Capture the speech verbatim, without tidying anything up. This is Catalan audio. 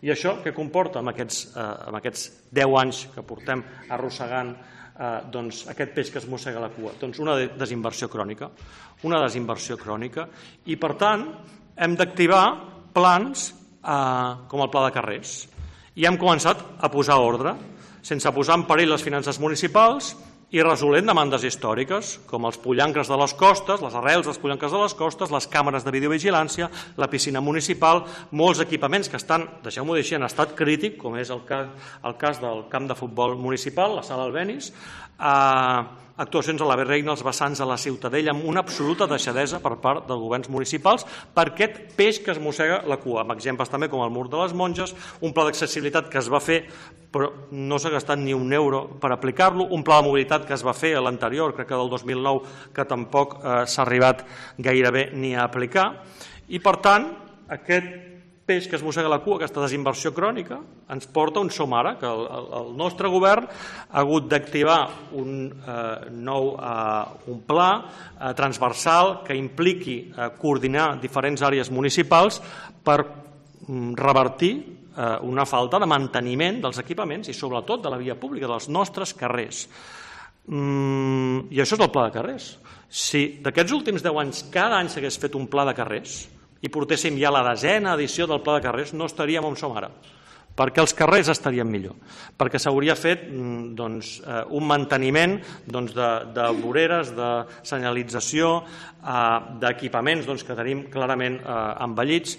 I això què comporta amb aquests deu anys que portem arrossegant aquest peix que es mossega la cua? Doncs una desinversió crònica, una desinversió crònica, i per tant hem d'activar plans com el Pla de Carrers. I hem començat a posar ordre, sense posar en perill les finances municipals i resolent demandes històriques, com els pollancres de les costes, les arrels dels pollancres de les costes, les càmeres de videovigilància, la piscina municipal, molts equipaments que estan, deixeu-m'ho dir així, en estat crític, com és el cas del camp de futbol municipal, la sala Albéniz, actuacions a la Reina, als vessants de la Ciutadella, amb una absoluta deixadesa per part dels governs municipals per aquest peix que es mossega la cua, amb exemples també com el Mur de les Monges, un pla d'accessibilitat que es va fer però no s'ha gastat ni un euro per aplicar-lo, un pla de mobilitat que es va fer a l'anterior, crec que del dos mil nou, que tampoc s'ha arribat gairebé ni a aplicar, i per tant aquest peix que es mossega la cua, aquesta desinversió crònica, ens porta on som ara, que el nostre govern ha hagut d'activar un nou pla transversal que impliqui coordinar diferents àrees municipals per revertir una falta de manteniment dels equipaments i sobretot de la via pública, dels nostres carrers. I això és el Pla de Carrers. Si d'aquests últims deu anys cada any s'hagués fet un pla de carrers i portéssim ja la desena edició del Pla de Carrers, no estaríem on som ara, perquè els carrers estarien millor, perquè s'hauria fet un manteniment de voreres, de senyalització, d'equipaments que tenim clarament envellits.